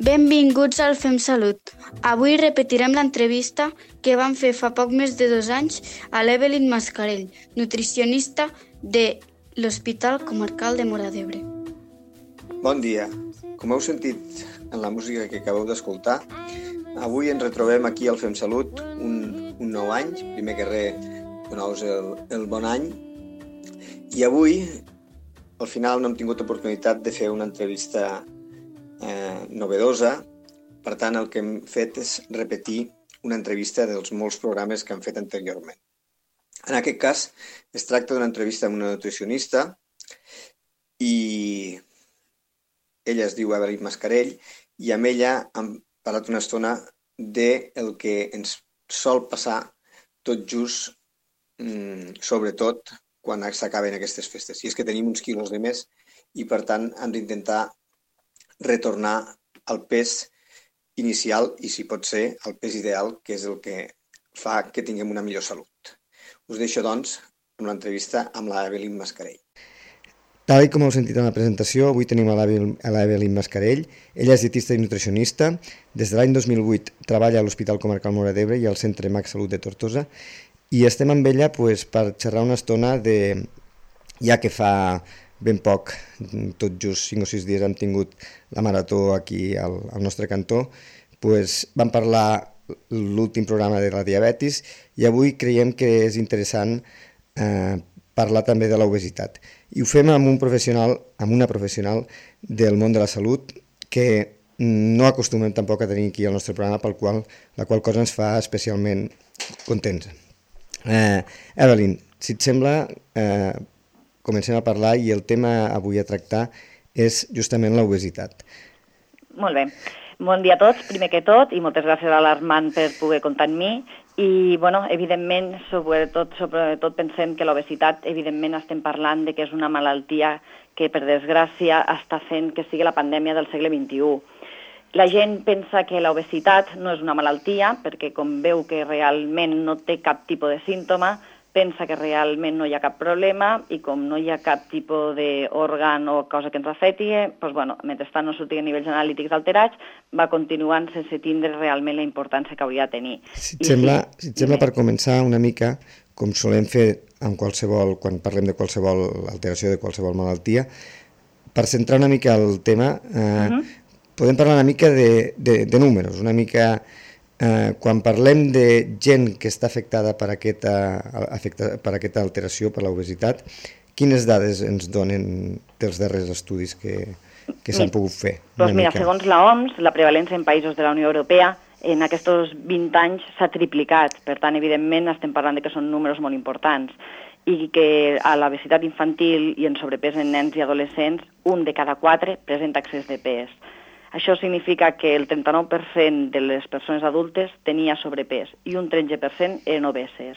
Benvinguts al Fem Salut. Avui repetirem l'entrevista que vam fer fa poc més de 2 anys a l'Evelyn Mascarell, nutricionista de l'Hospital Comarcal de Móra d'Ebre. Bon dia. Com heu sentit en la música que acabeu d'escoltar, avui ens retrobem aquí al Fem Salut un nou any. Primer que res, donar-vos el bon any. I avui, al final, no hem tingut oportunitat de fer una entrevista novedosa. Per tant, el que hem fet és repetir una entrevista dels molts programes que hem fet anteriorment. En aquest cas, es tracta d'una entrevista amb una nutricionista i ella es diu Evelyn Mascarell i amb ella hem parlat una estona del que ens sol passar tot just, sobretot quan s'acaben aquestes festes. I és que tenim uns quilos de més i, per tant, hem d'intentar retornar al pes inicial i, si pot ser, al pes ideal, que és el que fa que tinguem una millor salut. Us deixo, doncs, amb l'entrevista amb l'Evelyn Mascarell. Tal com heu sentit en la presentació, avui tenim a l'Evelyn Mascarell. Ella és dietista i nutricionista. Des de l'any 2008 treballa a l'Hospital Comarcal Móra d'Ebre i al Centre Max Salut de Tortosa. I estem amb ella per xerrar una estona ja que fa ben poc, tot just 5 o 6 dies hem tingut la marató aquí al nostre cantó, vam parlar l'últim programa de la diabetis i avui creiem que és interessant parlar també de l'obesitat. I ho fem amb una professional del món de la salut que no acostumem tampoc a tenir aquí al nostre programa, la qual cosa ens fa especialment contents. Evelyn, si et sembla, comencem a parlar i el tema avui a tractar és justament l'obesitat. Molt bé. Bon dia a tots, primer que tot, i moltes gràcies a l'Armand per poder comptar amb mi. I, evidentment, sobretot pensem que l'obesitat, evidentment, estem parlant de que és una malaltia que, per desgràcia, està fent que sigui la pandèmia del segle XXI. La gent pensa que l'obesitat no és una malaltia, perquè com veu que realment no té cap tipus de símptoma, pensa que realment no hi ha cap problema i com no hi ha cap tipus d'òrgan o cosa que ens afecti, mentrestant no surti a nivells analítics alterats, va continuant sense tindre realment la importància que hauria de tenir. Si et sembla, per començar una mica, com solem fer quan parlem de qualsevol alteració, de qualsevol malaltia, per centrar una mica el tema, podem parlar una mica de números, una mica... Quan parlem de gent que està afectada per aquesta alteració, per l'obesitat, quines dades ens donen dels darrers estudis que s'han pogut fer? Segons l'OMS, la prevalència en països de la Unió Europea en aquests 20 anys s'ha triplicat. Per tant, evidentment, estem parlant que són números molt importants i que a l'obesitat infantil i en sobrepès en nens i adolescents, 1 de cada 4 presenta excés de pes. Això significa que el 39% de les persones adultes tenia sobrepès i un 13% eren obeses.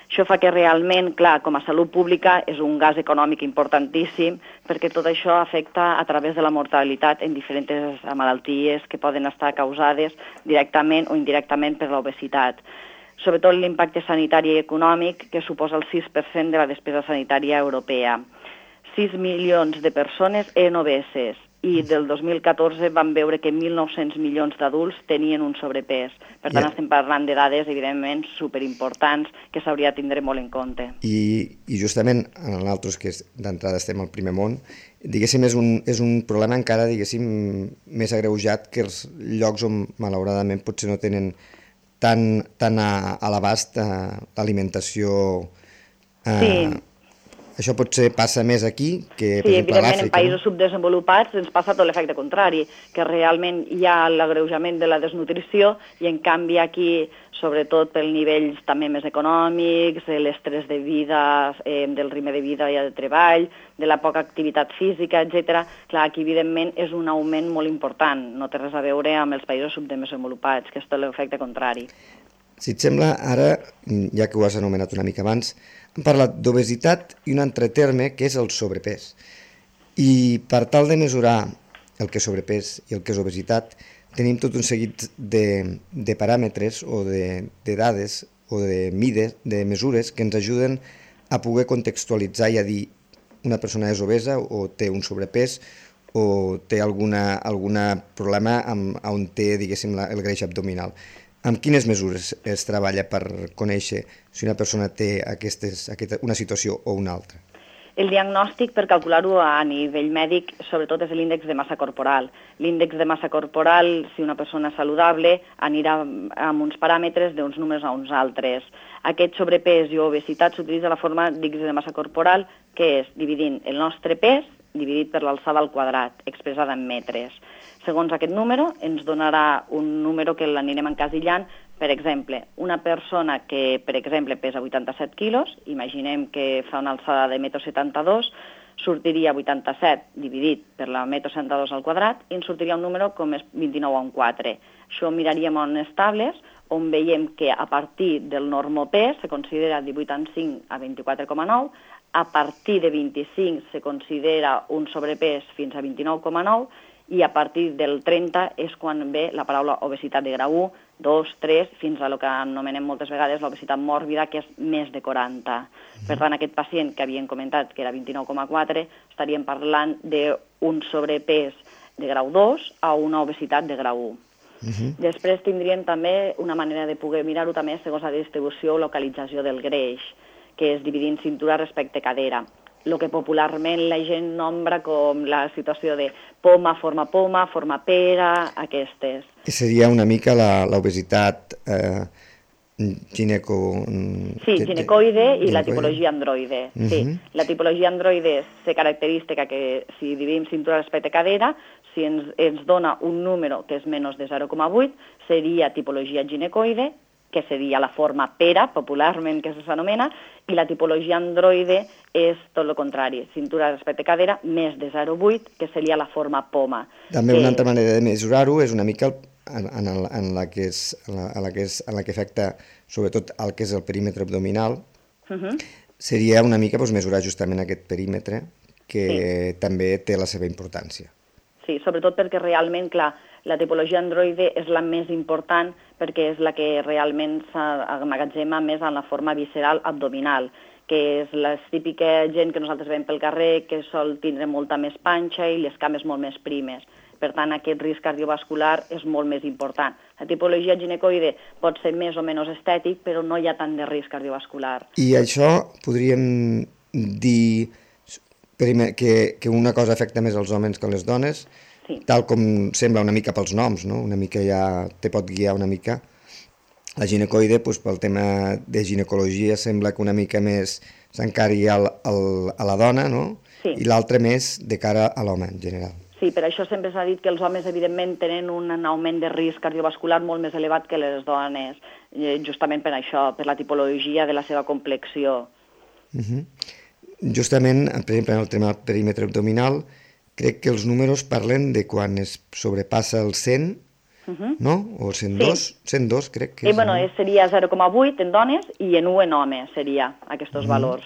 Això fa que realment, clar, com a salut pública és un gas econòmic importantíssim perquè tot això afecta a través de la mortalitat en diferents malalties que poden estar causades directament o indirectament per l'obesitat. Sobretot l'impacte sanitari i econòmic que suposa el 6% de la despesa sanitària europea. 6 milions de persones eren obeses. I del 2014 vam veure que 1.900 milions d'adults tenien un sobrepès. Per tant, estem parlant de dades, evidentment, superimportants que s'hauria de tindre molt en compte. I justament, en nosaltres, que d'entrada estem al primer món, diguéssim, és un problema encara, diguéssim, més agreujat que els llocs on, malauradament, potser no tenen tan a l'abast l'alimentació... Sí. Això potser passa més aquí que, per exemple, a l'Àfrica. Sí, evidentment, en països subdesenvolupats ens passa tot l'efecte contrari, que realment hi ha l'agreujament de la desnutrició i, en canvi, aquí, sobretot per nivells també més econòmics, l'estrès de vida, del ritme de vida i de treball, de la poca activitat física, etc. Clar, aquí, evidentment, és un augment molt important. No té res a veure amb els països subdesenvolupats, que és tot l'efecte contrari. Si et sembla, ara, ja que ho has anomenat una mica abans, hem parlat d'obesitat i un altre terme que és el sobrepès. I per tal de mesurar el que és sobrepès i el que és obesitat, tenim tot un seguit de paràmetres o de dades o de mides, de mesures que ens ajuden a poder contextualitzar i a dir una persona és obesa o té un sobrepès o té algun problema on té, diguéssim, el greix abdominal. Amb quines mesures es treballa per conèixer si una persona té una situació o una altra? El diagnòstic, per calcular-ho a nivell mèdic, sobretot és l'índex de massa corporal. L'índex de massa corporal, si una persona és saludable, anirà amb uns paràmetres d'uns números a uns altres. Aquest sobrepès i obesitat s'utilitza la forma d'índex de massa corporal, que és dividint el nostre pes dividit per l'alçada al quadrat, expressada en metres. Segons aquest número, ens donarà un número que l'anirem encasillant. Per exemple, una persona que, per exemple, pesa 87 quilos, imaginem que fa una alçada de 1,72 m, sortiria 87 dividit per la 1,72 m al quadrat i ens sortiria un número com és 29,4. Això miraríem on estables, on veiem que a partir del normopès se considera 18,5 a 24,9, a partir de 25 se considera un sobrepès fins a 29,9 i a partir del 30 és quan ve la paraula obesitat de grau 1, 2, 3, fins a el que anomenem moltes vegades l'obesitat mòrbida, que és més de 40. Per tant, aquest pacient que havíem comentat, que era 29,4, estaríem parlant d'un sobrepès de grau 2 a una obesitat de grau 1. Després tindríem també una manera de poder mirar-ho també segons la distribució o localització del greix, que és dividint cintura respecte cadera. El que popularment la gent nombra com la situació de poma, forma pera, aquestes. Seria una mica l'obesitat ginecoide i la tipologia androide. Sí. La tipologia androide se característica que si dividim cintura respecte cadera, si ens dona un número que és menys de 0,8, seria tipologia ginecoide, que seria la forma pera, popularment que s'anomena, i la tipologia androide és tot el contrari, cintura respecte cadera, més de 0,8, que seria la forma poma. També una altra manera de mesurar-ho és una mica en la que afecta sobretot el que és el perímetre abdominal, seria una mica mesurar justament aquest perímetre, que també té la seva importància. Sí, sobretot perquè realment, clar, la tipologia androide és la més important perquè és la que realment s'emmagatzema més en la forma visceral abdominal, que és la típica gent que nosaltres veiem pel carrer que sol tindre molta més panxa i les cames molt més primes. Per tant, aquest risc cardiovascular és molt més important. La tipologia ginecoide pot ser més o menys estètic, però no hi ha tant de risc cardiovascular. I això podríem dir que una cosa afecta més als homes que a les dones, sí, tal com sembla una mica pels noms, no? Una mica ja te pot guiar una mica. La ginecoide, pel tema de ginecologia, sembla que una mica més s'encari a la dona, no? Sí. I l'altra més de cara a l'home en general. Sí, per això sempre s'ha dit que els homes, evidentment, tenen un augment de risc cardiovascular molt més elevat que les dones, justament per això, per la tipologia de la seva complexió. Justament, per exemple, en el tema del perímetre abdominal, crec que els números parlen de quan es sobrepassa el 100, no? O el 102, sí. 102 crec que és. Bueno, seria 0,8 en dones i en 1 en homes seria aquests valors.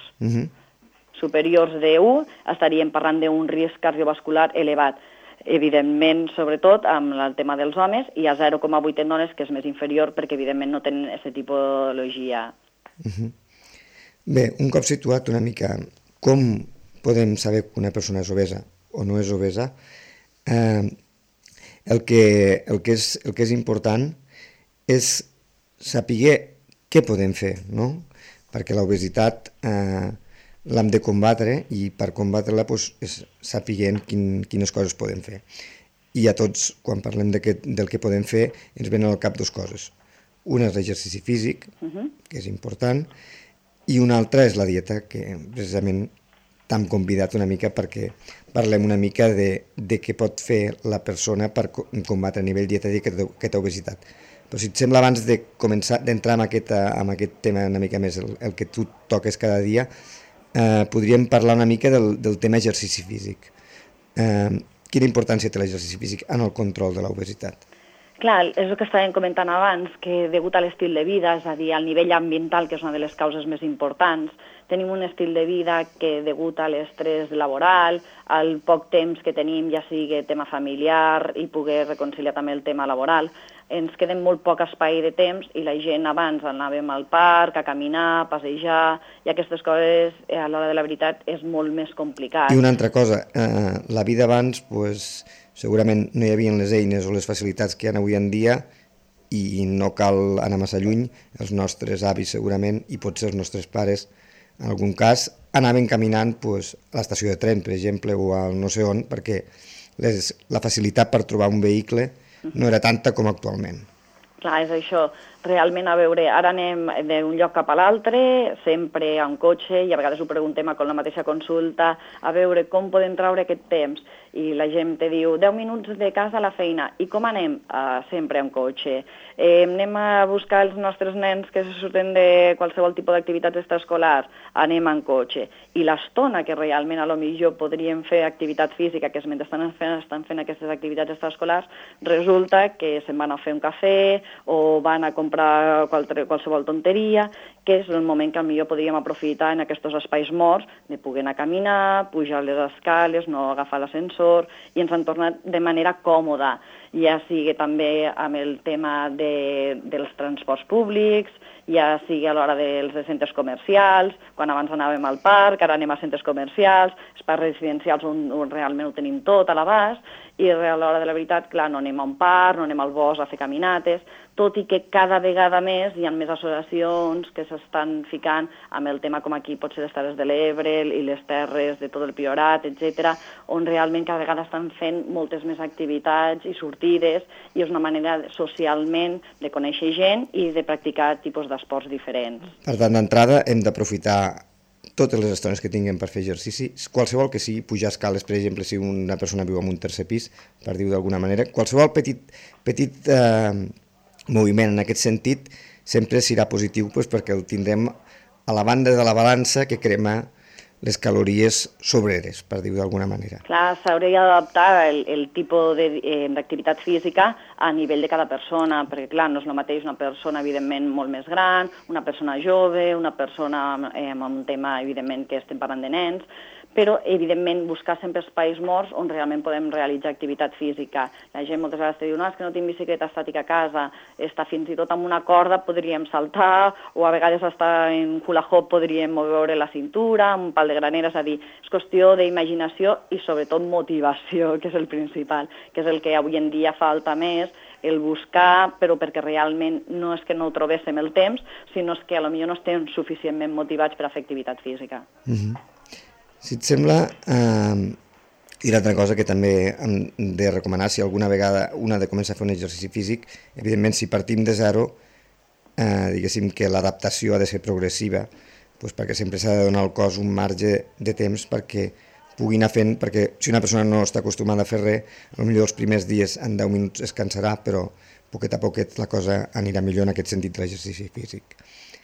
Superiors de 1 estaríem parlant d'un risc cardiovascular elevat. Evidentment, sobretot, amb el tema dels homes, i a 0,8 en dones, que és més inferior, perquè evidentment no tenen aquesta tipologia. Bé, un cop situat una mica com podem saber que una persona és obesa o no és obesa, el que és important és saber què podem fer, no? Perquè l'obesitat l'hem de combatre i per combatre-la és sapiguent quines coses podem fer. I a tots, quan parlem del que podem fer, ens venen al cap dues coses. Una és l'exercici físic, que és important, i una altra és la dieta, que precisament t'hem convidat una mica perquè parlem una mica de què pot fer la persona per combatre a nivell dietètic aquesta obesitat. Però si et sembla, abans de començar d'entrar en aquest tema una mica més, el que tu toques cada dia, podríem parlar una mica del tema exercici físic. Quina importància té l'exercici físic en el control de l'obesitat? Clar, és el que estàvem comentant abans, que degut a l'estil de vida, és a dir, al nivell ambiental, que és una de les causes més importants, tenim un estil de vida que, degut a l'estrès laboral, al poc temps que tenim, ja sigui tema familiar i poder reconciliar també el tema laboral, ens queda molt poc espai de temps i la gent abans anàvem al parc, a caminar, a passejar, i aquestes coses a l'hora de la veritat és molt més complicat. I una altra cosa, la vida abans segurament no hi havia les eines o les facilitats que hi ha avui en dia i no cal anar massa lluny, els nostres avis segurament i potser els nostres pares en algun cas anaven caminant a l'estació de tren, per exemple, o al no sé on, perquè la facilitat per trobar un vehicle no era tanta com actualment. Clar, és això. Realment, a veure, ara anem d'un lloc cap a l'altre, sempre amb cotxe, i a vegades ho preguntem amb la mateixa consulta, a veure com podem treure aquest temps. I la gent te diu 10 minuts de casa a la feina. I com anem? Sempre amb cotxe. Anem a buscar els nostres nens que se surten de qualsevol tipus d'activitats extraescolars? Anem amb cotxe. I l'estona que realment a lo millor podríem fer activitat física, que mentre estan fent aquestes activitats extraescolars, resulta que se'n van a fer un cafè o van a comprar qualsevol tonteria, que és el moment que millor podríem aprofitar en aquests espais morts de poder anar a caminar, pujar les escales, no agafar l'ascensor, i ens han tornat de manera còmoda, ja sigui també amb el tema dels transports públics, ja sigui a l'hora dels centres comercials, quan abans anàvem al parc, ara anem a centres comercials, espais residencials on realment ho tenim tot a l'abast, i a l'hora de la veritat, clar, no anem a un parc, no anem al bosc a fer caminates, tot i que cada vegada més hi ha més associacions que s'estan ficant amb el tema com aquí pot ser les Terres de l'Ebre i les terres de tot el Priorat, etc., on realment cada vegada estan fent moltes més activitats i sortides, i és una manera socialment de conèixer gent i de practicar tipus d'esports diferents. Per tant, d'entrada hem d'aprofitar totes les estones que tinguem per fer exercici, qualsevol que sigui, pujar escales, per exemple, si una persona viu en un tercer pis, per dir-ho d'alguna manera, qualsevol petit moviment en aquest sentit sempre serà positiu perquè el tindrem a la banda de la balança que crema les calories sobreres, per dir-ho d'alguna manera. Clar, s'hauria d'adaptar el tipus d'activitat física a nivell de cada persona, perquè clar, no és el mateix una persona evidentment molt més gran, una persona jove, una persona amb un tema evidentment que estem parlant de nens, però evidentment buscar sempre espais morts on realment podem realitzar activitat física. La gent moltes vegades diu, no, és que no tinc bicicleta estàtica a casa, està fins i tot amb una corda podríem saltar, o a vegades està en hula hoop podríem moure la cintura, amb un pal de granera, és a dir, és qüestió d'imaginació i sobretot motivació, que és el principal, que és el que avui en dia falta més, el buscar, però perquè realment no és que no trobéssim el temps, sinó és que potser no estem suficientment motivats per a fer activitat física. Si et sembla, i l'altra cosa que també hem de recomanar, si alguna vegada una ha de començar a fer un exercici físic, evidentment si partim de zero, diguéssim que l'adaptació ha de ser progressiva, perquè sempre s'ha de donar al cos un marge de temps perquè pugui anar fent, perquè si una persona no està acostumada a fer res, potser els primers dies en 10 minuts es cansarà, però poquet a poquet la cosa anirà millor en aquest sentit de l'exercici físic.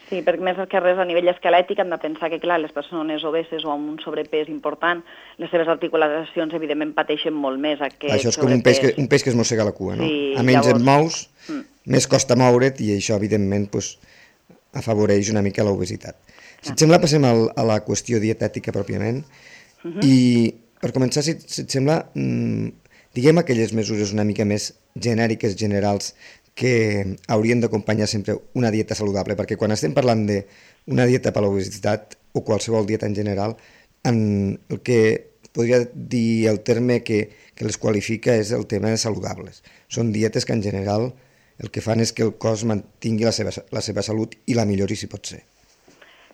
Sí, perquè més que res a nivell esquelètic hem de pensar que, clar, les persones obeses o amb un sobrepès important, les seves articulacions, evidentment, pateixen molt més aquest Això és com un peix que es mossega la cua, no? Sí, a menys et mous, més costa moure't i això, evidentment, afavoreix una mica l'obesitat. Si et sembla, passem a la qüestió dietètica pròpiament i, per començar, si et sembla, diguem aquelles mesures una mica més genèriques, generals, que haurien d'acompanyar sempre una dieta saludable, perquè quan estem parlant d'una dieta per a l'obesitat o qualsevol dieta en general, el que podria dir el terme que les qualifica és el tema de saludables. Són dietes que en general el que fan és que el cos mantingui la seva salut i la millori si pot ser.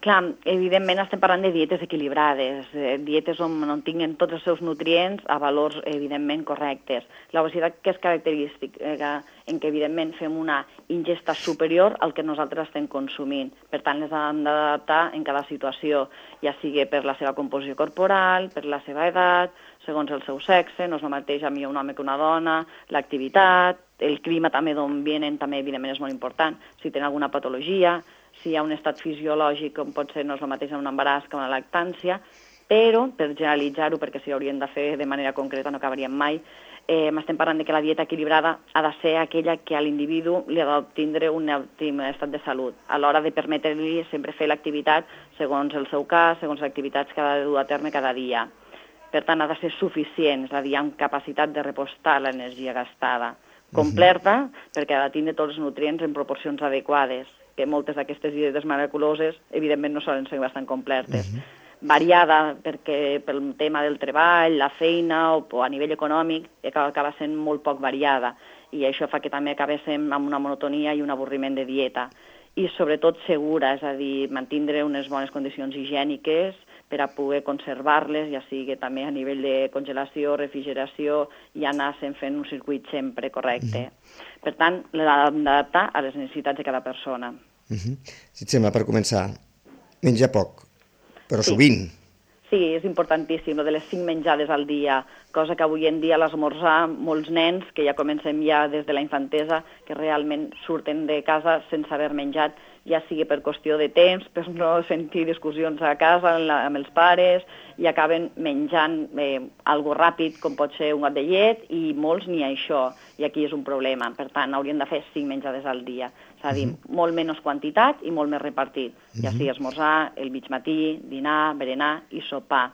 Clar, evidentment estem parlant de dietes equilibrades, dietes on tinguen tots els seus nutrients a valors evidentment correctes. L'obesitat que és característica en què evidentment fem una ingesta superior al que nosaltres estem consumint. Per tant, les hem d'adaptar en cada situació, ja sigui per la seva composició corporal, per la seva edat, segons el seu sexe, no és el mateix a mi un home que una dona, l'activitat, el clima també d'on vienen també evidentment és molt important, si tenen alguna patologia, si hi ha un estat fisiològic com pot ser no és el mateix en un embaràs que una lactància, però per generalitzar-ho, perquè si ho hauríem de fer de manera concreta no acabaríem mai, estem parlant de que la dieta equilibrada ha de ser aquella que a l'individu li ha d'obtindre un òptim estat de salut, a l'hora de permetre-li sempre fer l'activitat segons el seu cas, segons les activitats que ha de dur a terme cada dia. Per tant, ha de ser suficient, és a dir, amb capacitat de repostar l'energia gastada, completa, perquè ha de tindre tots els nutrients en proporcions adequades, que moltes d'aquestes dietes miraculoses, evidentment, no solen ser bastant completes. Variada, perquè pel tema del treball, la feina o a nivell econòmic acaba sent molt poc variada i això fa que també acabéssim amb una monotonia i un avorriment de dieta. I sobretot segura, és a dir, mantindre unes bones condicions higièniques per a poder conservar-les, ja sigui també a nivell de congelació, refrigeració, i anar fent un circuit sempre correcte. Per tant, l'hem d'adaptar a les necessitats de cada persona. Si et sembla, per començar, menjar poc, però sovint. Sí, és importantíssim, lo de les 5 menjades al dia, cosa que avui en dia a l'esmorzar molts nens, que ja comencem ja des de la infantesa, que realment surten de casa sense haver menjat, ja sigui per qüestió de temps, per no sentir discussions a casa amb els pares, i acaben menjant algo ràpid, com pot ser un got de llet, i molts ni això, i aquí és un problema. Per tant, hauríem de fer 5 menjades al dia, és a dir, molt menys quantitat i molt més repartit, ja sigui esmorzar, el mig matí, dinar, berenar i sopar.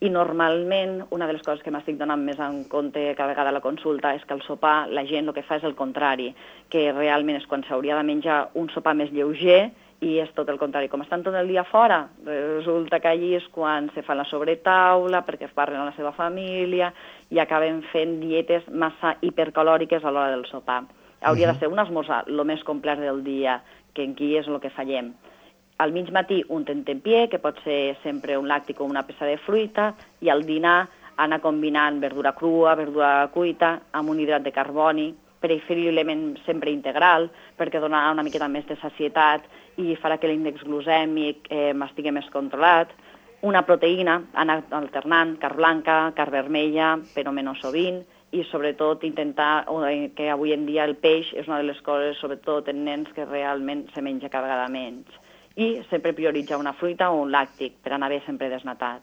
I normalment, una de les coses que m'estic donant més en compte cada vegada a la consulta és que el sopar, la gent el que fa és el contrari, que realment és quan s'hauria de menjar un sopar més lleuger i és tot el contrari. Com estan tot el dia fora, resulta que allí és quan se fa la sobretaula, perquè es parlen amb la seva família i acaben fent dietes massa hipercalòriques a l'hora del sopar. Hauria de ser un esmorzar el més complet del dia, que aquí és el que fallem. Al mig matí un tentempié, que pot ser sempre un làctic o una peça de fruita, i al dinar anar combinant verdura crua, verdura cuita, amb un hidrat de carboni, preferiblement sempre integral, perquè donarà una miqueta més de sacietat i farà que l'índex glucèmic estigui més controlat. Una proteïna, anar alternant, carn blanca, carn vermella, però menys sovint, i sobretot intentar que avui en dia el peix és una de les coses, sobretot en nens, que realment se menja cada vegada menys. I sempre prioritzar una fruita o un làctic per anar bé sempre desnatat.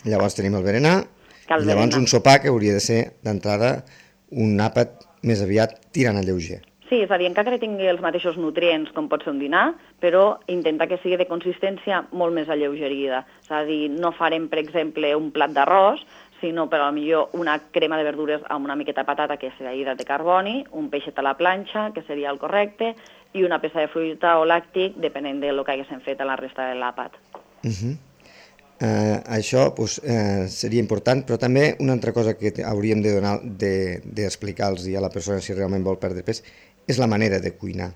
Llavors tenim el berenar, i llavors un sopar que hauria de ser d'entrada un àpat més aviat tirant a lleuger. Sí, és a dir, encara que tingui els mateixos nutrients com pot ser un dinar, però intentar que sigui de consistència molt més alleugerida. És a dir, no farem, per exemple, un plat d'arròs, sinó per millor una crema de verdures amb una miqueta de patata, que seria hidrat de carboni, un peixet a la planxa, que seria el correcte, i una peça de fruita o làctic, depenent del que haguéssim fet a la resta de l'àpat. Això seria important, però també una altra cosa que hauríem d'explicar-los a la persona si realment vol perdre pes és la manera de cuinar.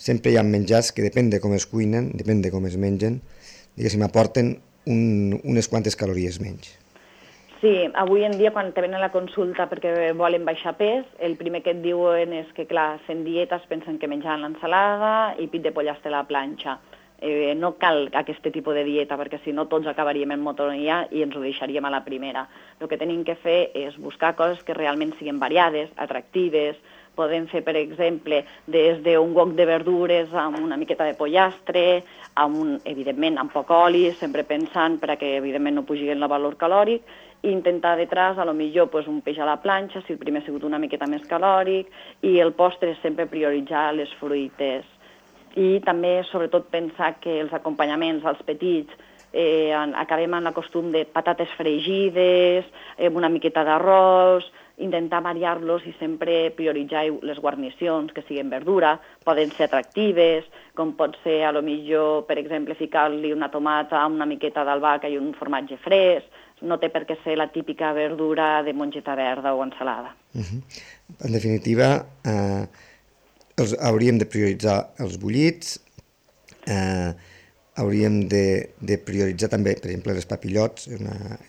Sempre hi ha menjars que depèn de com es cuinen, depèn de com es mengen, diguéssim, aporten unes quantes calories menys. Sí, avui en dia quan te venen a la consulta perquè volen baixar pes, el primer que et diuen és que, clar, fent dietes pensen que menjaran l'ensalada i pit de pollastre a la planxa. No cal aquest tipus de dieta, perquè si no tots acabaríem en monotonia i ens ho deixaríem a la primera. El que tenim que fer és buscar coses que realment siguin variades, atractives. Podem fer, per exemple, des d'un wok de verdures amb una miqueta de pollastre, evidentment amb poc oli, sempre pensant perquè evidentment no pugi el valor calòric, i intentar detrás, a lo millor, un peix a la planxa, si el primer ha sigut una miqueta més calòric, i el postre és sempre prioritzar les fruites. I també, sobretot, pensar que els acompanyaments als petits acabem amb el costum de patates fregides, una miqueta d'arròs, intentar variar-los i sempre prioritzar les guarnicions, que siguin verdura, poden ser atractives, com pot ser, a lo millor, per exemple, ficar-li una tomata amb una miqueta d'albahaca i un formatge fresc. No té per què ser la típica verdura de mongeta verda o ensalada. En definitiva, hauríem de prioritzar els bullits, hauríem de prioritzar també, per exemple, les papillots,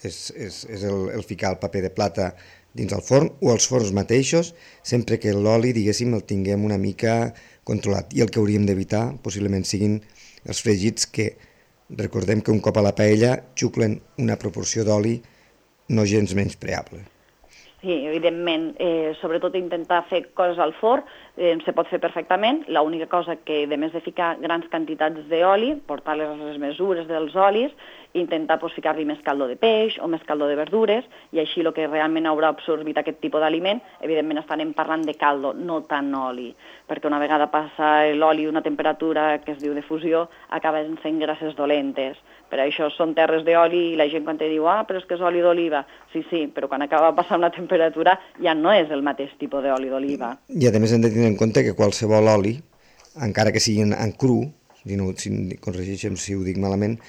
és el ficar el paper de plata dins el forn, o els forns mateixos, sempre que l'oli, diguéssim, el tinguem una mica controlat. I el que hauríem d'evitar, possiblement, siguin els fregits que, recordem que un cop a la paella xuclen una proporció d'oli no gens menyspreable. Sí, evidentment, sobretot intentar fer coses al forn, se pot fer perfectament. L'única cosa que, a més de ficar grans quantitats d'oli, portar les mesures dels olis intentar ficar-li més caldo de peix o més caldo de verdures, i així el que realment haurà absorbit aquest tipus d'aliment, evidentment estarem parlant de caldo, no tant oli, perquè una vegada passa l'oli una temperatura que es diu de fusió, acaba sent grasses dolentes. Per això són terres d'oli i la gent quan te diu però és que és oli d'oliva. Sí, però quan acaba de passar una temperatura ja no és el mateix tipus d'oli d'oliva. I a més hem de tenir en compte que qualsevol oli, encara que sigui en cru, si corregeixem si ho dic malament,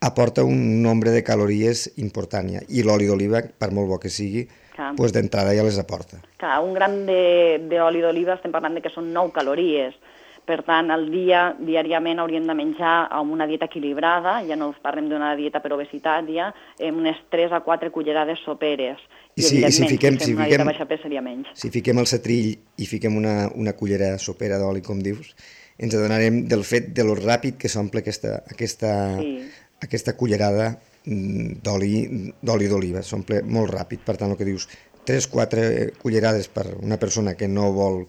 aporta un nombre de calories important, i l'oli d'oliva, per molt bo que sigui, d'entrada ja les aporta. Clar, un gram d'oli d'oliva estem parlant que són 9 calories. Per tant, al dia, diàriament, hauríem de menjar amb una dieta equilibrada, ja no parlem d'una dieta per obesitat, ja, unes 3 a 4 cullerades soperes. I evidentment, si fem una dieta baixa pes seria menys. Si fiquem el setrill i fiquem una cullera sopera d'oli, com dius, ens adonarem del fet de lo ràpid que s'omple aquesta cullerada d'oli d'oliva. S'omple molt ràpid, per tant, el que dius, 3-4 cullerades per una persona que no vol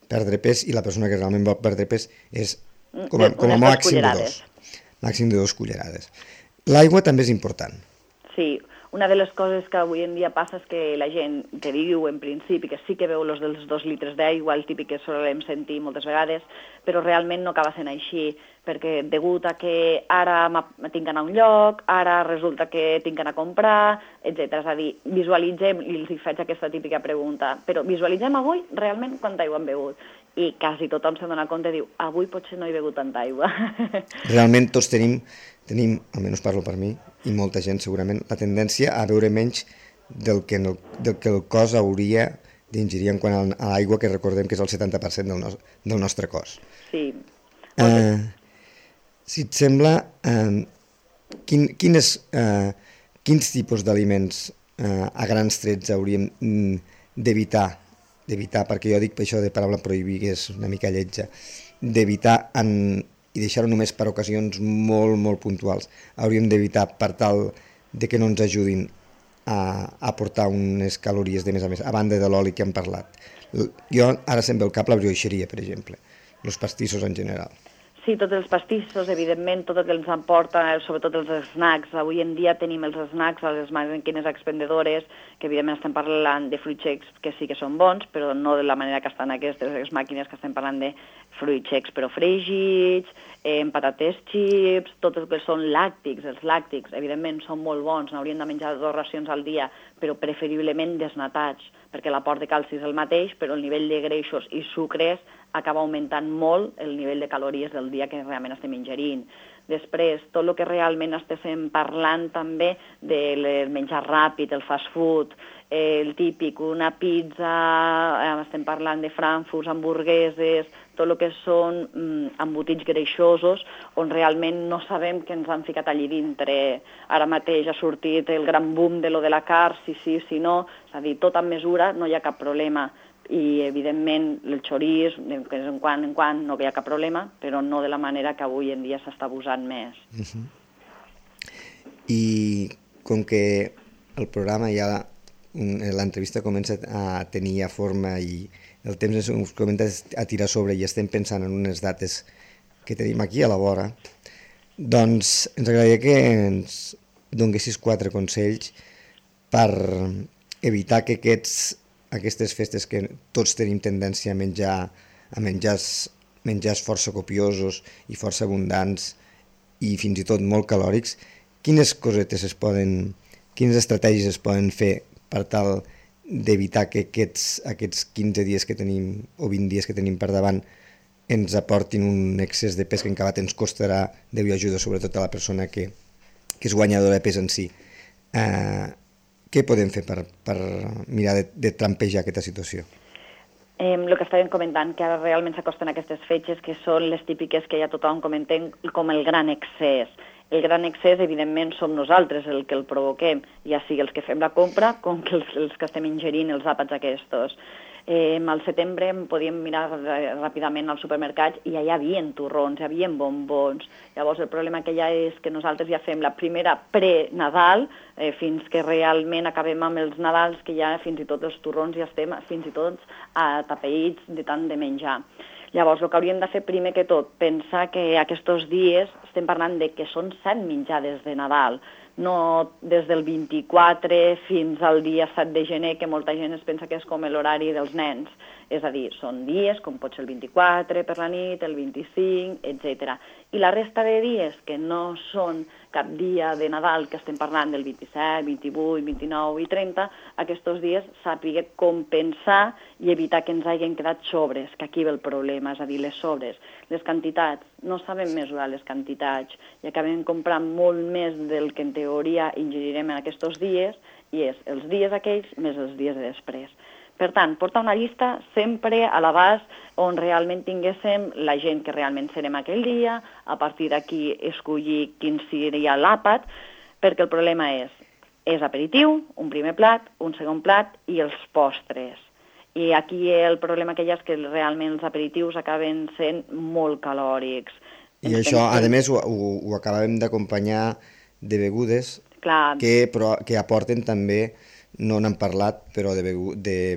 perdre pes, i la persona que realment vol perdre pes és com a màxim de 2. Màxim de 2 cullerades. L'aigua també és important. Sí, una de les coses que avui en dia passa és que la gent que diu en principi que sí que veu els dels 2 litres d'aigua, el típic que solem sentir moltes vegades, però realment no acaba sent així, perquè degut a que ara tinc d'anar a un lloc, ara resulta que tinc d'anar a comprar, etc. És a dir, visualitzem, i els faig aquesta típica pregunta, però visualitzem avui realment quanta aigua hem begut. I quasi tothom se'n dona compte i diu, avui potser no he begut tanta aigua. Realment tots tenim, almenys parlo per mi, i molta gent segurament, la tendència a beure menys del que el cos hauria d'ingerir en quant a l'aigua, que recordem que és el 70% del nostre cos. Sí. Si et sembla, quins tipus d'aliments a grans trets hauríem d'evitar, perquè jo dic per això de paraula prohibir, que és una mica lletja, d'evitar i deixar-ho només per ocasions molt, molt puntuals. Hauríem d'evitar per tal de que no ens ajudin a aportar unes calories de més a més, a banda de l'oli que hem parlat. Jo ara se'm ve al cap la brioixeria, per exemple, els pastissos en general. Sí, tots els pastissos, evidentment, tot el que ens emporta, sobretot els snacks. Avui en dia tenim els snacks a les màquines expendedores, que evidentment estem parlant de fruits secs que sí que són bons, però no de la manera que estan aquestes màquines que estem parlant de fruits secs però fregits, patates xips, tot el que són làctics. Els làctics, evidentment, són molt bons, n'hauríem de menjar 2 racions al dia, però preferiblement desnatats, perquè l'aport de calci és el mateix, però el nivell de greixos i sucres acaba augmentant molt el nivell de calories del dia que realment estem ingerint. Després, tot el que realment estem parlant també del menjar ràpid, el fast food, el típic, una pizza, estem parlant de frankfurts, hamburgueses, tot el que són embotits greixosos, on realment no sabem què ens han ficat allí dintre. Ara mateix ha sortit el gran boom de lo de la carn, si no, és a dir, tot amb mesura, no hi ha cap problema. I, evidentment, el xoriç, de quan en quan no hi ha cap problema, però no de la manera que avui en dia s'està abusant més. I com que el programa ja, l'entrevista comença a tenir ja forma i el temps ens comença a tirar sobre i estem pensant en unes dates que tenim aquí a la vora, doncs ens agradaria que ens donessis 4 consells per evitar que aquestes festes que tots tenim tendència a menjar menjars força copiosos i força abundants i fins i tot molt calòrics, quines quines estratègies es poden fer per tal d'evitar que aquests 15 dies que tenim o 20 dies que tenim per davant ens aportin un excés de pes que en acabat ens costarà Déu i ajuda, sobretot a la persona que és guanyadora de pes en si. Què podem fer per mirar de trampejar aquesta situació? El que estàvem comentant, que ara realment s'acosten aquestes fetges, que són les típiques que ja tothom comentem com el gran excés. El gran excés, evidentment, som nosaltres el que el provoquem, ja sigui els que fem la compra com els que estem ingerint els àpats aquests. Al setembre podíem mirar ràpidament al supermercat i ja hi havia torrons, hi havia bombons. Llavors el problema que hi ha és que nosaltres ja fem la primera pre-Nadal fins que realment acabem amb els Nadals, que ja fins i tot els torrons ja estem fins i tot atapeïts de tant de menjar. Llavors, el que hauríem de fer primer que tot, pensar que aquests dies estem parlant de que són 7 menjades de Nadal, no des del 24 fins al dia 7 de gener, que molta gent es pensa que és com l'horari dels nens. És a dir, són dies, com pot ser el 24 per la nit, el 25, etc. I la resta de dies, que no són cap dia de Nadal, que estem parlant del 27, 28, 29 i 30, aquests dies sàpiga compensar i evitar que ens hagin quedat sobres, que aquí ve el problema, és a dir, les sobres, les quantitats. No sabem mesurar les quantitats i acabem comprant molt més del que en teoria ingerirem en aquests dies, i és els dies aquells més els dies de després. Per tant, portar una llista sempre a l'abast on realment tinguéssim la gent que realment serem aquell dia, a partir d'aquí escollir quin seria l'àpat, perquè el problema és aperitiu, un primer plat, un segon plat i els postres. I aquí el problema que hi ha és que realment els aperitius acaben sent molt calòrics. I això, a més, ho acabem d'acompanyar de begudes que aporten també, no n'hem parlat, però de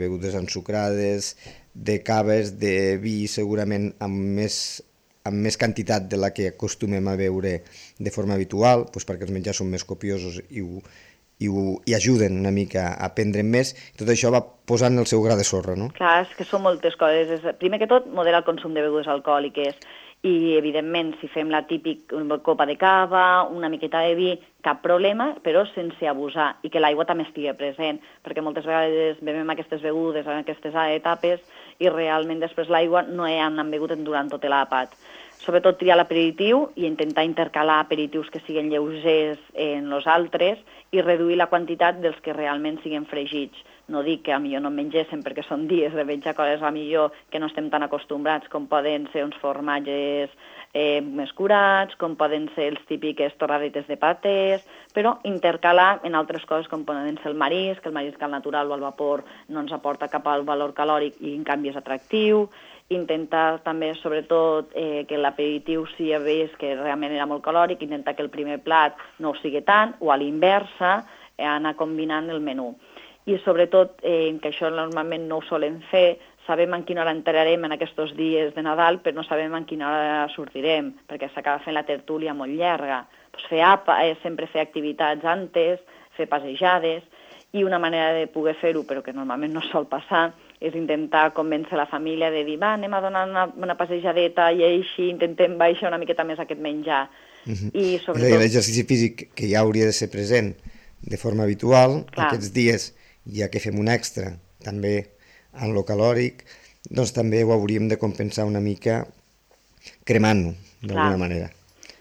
begudes ensucrades, de caves, de vi, segurament amb més quantitat de la que acostumem a beure de forma habitual, doncs perquè els menjars són més copiosos i ajuden una mica a prendre més. Tot això va posant el seu gra de sorra, no? Clar, és que són moltes coses. Primer que tot, moderar el consum de begudes alcohòliques. I, evidentment, si fem la típica copa de cava, una miqueta de vi, cap problema, però sense abusar, i que l'aigua també estigui present, perquè moltes vegades bevem aquestes begudes en aquestes etapes i realment després l'aigua no hi han begut durant tot l'àpat. Sobretot triar l'aperitiu i intentar intercalar aperitius que siguin lleugers en els altres i reduir la quantitat dels que realment siguin fregits. No dic que a millor no mengéssim perquè són dies de menjar coses a millor que no estem tan acostumbrats, com poden ser uns formatges més curats, com poden ser els típiques torradetes de patés, però intercalar en altres coses com poden ser el marisc al natural o al vapor no ens aporta cap al valor calòric i en canvi és atractiu. Intentar també, sobretot, que l'aperitiu si ja veus que realment era molt calòric, intentar que el primer plat no ho sigui tant, o a l'inversa, anar combinant el menú. I sobretot, que això normalment no ho solem fer, sabem en quina hora entrarem en aquests dies de Nadal, però no sabem en quina hora sortirem, perquè s'acaba fent la tertúlia molt llarga. Sempre fer activitats antes, fer passejades, i una manera de poder fer-ho, però que normalment no sol passar, és intentar convèncer la família de dir, va, anem a donar una passejadeta i així intentem baixar una miqueta més aquest menjar. I sobretot... L'exercici físic que ja hauria de ser present de forma habitual, aquests dies, ja que fem un extra, també en lo calòric, doncs també ho hauríem de compensar una mica cremant-ho, d'alguna manera.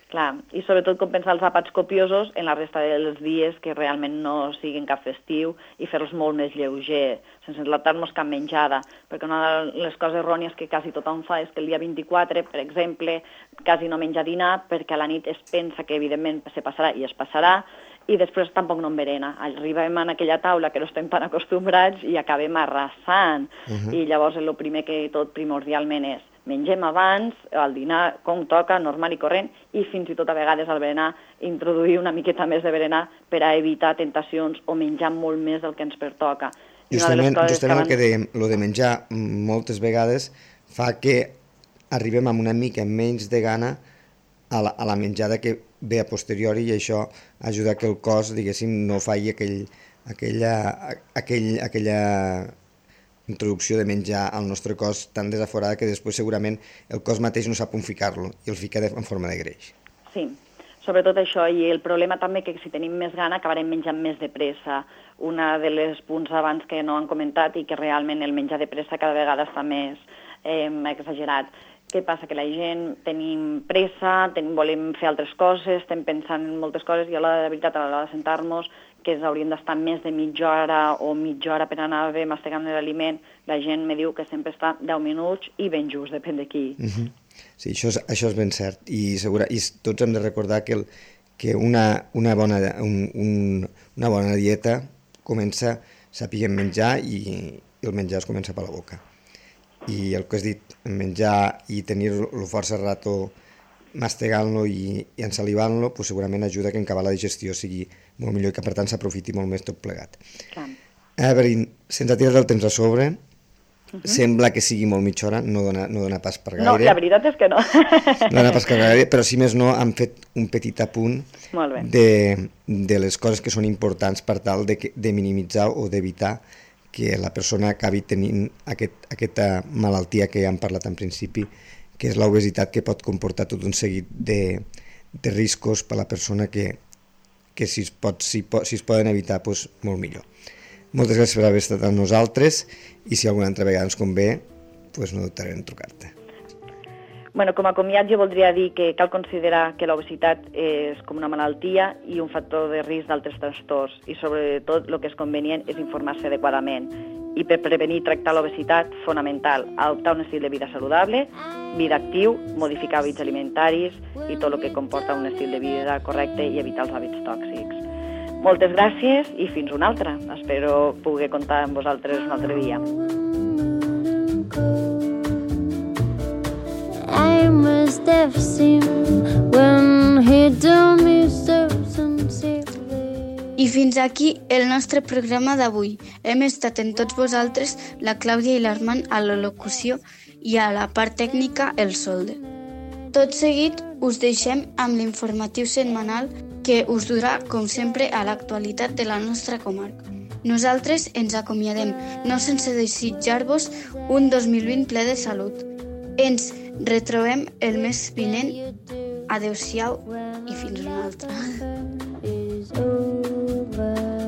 Clar, i sobretot compensar els àpats copiosos en la resta dels dies que realment no siguin cap festiu i fer-los molt més lleuger, sense enlatar-nos cap menjada, perquè una de les coses errònies que quasi tothom fa és que el dia 24, per exemple, quasi no menja dinar perquè a la nit es pensa que evidentment se passarà i es passarà, i després tampoc no enverena. Arribem a aquella taula que no estem tan acostumbrats i acabem arrasant. I llavors el primer que tot primordialment és mengem abans, el dinar com toca, normal i corrent, i fins i tot a vegades al berenar introduir una miqueta més de berenar per a evitar tentacions o menjar molt més del que ens pertoca. Justament el que dèiem, el de menjar moltes vegades fa que arribem amb una mica menys de gana a la menjada que ve a posteriori, i això ajuda que el cos, diguéssim, no faci aquella introducció de menjar al nostre cos tan desaforada que després segurament el cos mateix no sap on ficar-lo i el fica en forma de greix. Sí, sobretot això, i el problema també que si tenim més gana acabarem menjant més de pressa. Una de les punts abans que no han comentat i que realment el menjar de pressa cada vegada està més exagerat. Què passa? Que la gent tenim pressa, volem fer altres coses, estem pensant en moltes coses i a l'hora de veritat, a l'hora de sentar-nos, que hauríem d'estar més de mitja hora per anar bé mastegant l'aliment, la gent me diu que sempre està 10 minuts i ben just, depèn de qui. Sí, això és ben cert. I tots hem de recordar que una bona dieta comença sapiguem menjar i el menjar es comença per la boca. I el que has dit, menjar i tenir-lo força rato mastegant-lo i ensalivant-lo, pues segurament ajuda que en acabar la digestió sigui molt millor i que per tant s'aprofiti molt més tot plegat. Evelyn, sense tirar el temps a sobre, sembla que sigui molt mitja hora, no dona pas per gaire. No, la veritat és que no. No dona pas per gaire, però si més no han fet un petit apunt de les coses que són importants per tal de minimitzar o d'evitar que la persona acabi tenint aquesta malaltia que ja hem parlat en principi, que és l'obesitat, que pot comportar tot un seguit de riscos per a la persona que si es poden evitar, doncs molt millor. Moltes gràcies per haver estat amb nosaltres i si alguna altra vegada ens convé, doncs no dubtarem en trucar-te. Bueno, com a comiat jo voldria dir que cal considerar que l'obesitat és com una malaltia i un factor de risc d'altres trastorns i sobretot el que és convenient és informar-se adequadament. I per prevenir i tractar l'obesitat, fonamental, adoptar un estil de vida saludable, vida actiu, modificar hàbits alimentaris i tot el que comporta un estil de vida correcte i evitar els hàbits tòxics. Moltes gràcies i fins una altra. Espero poder comptar amb vosaltres un altre dia. I must have seen when he told me so sincerely. I fins aquí el nostre programa d'avui. Hem estat en tots vosaltres la Clàudia i l'Armand a la locució i a la part tècnica el Solde. Tot seguit us deixem amb l'informatiu setmanal que us durà, com sempre, a l'actualitat de la nostra comarca. Nosaltres ens acomiadem, no sense desitjar-vos un 2020 ple de salut. Ens retrobem el mes vinent. Adéu-siau i fins una altra. Is over.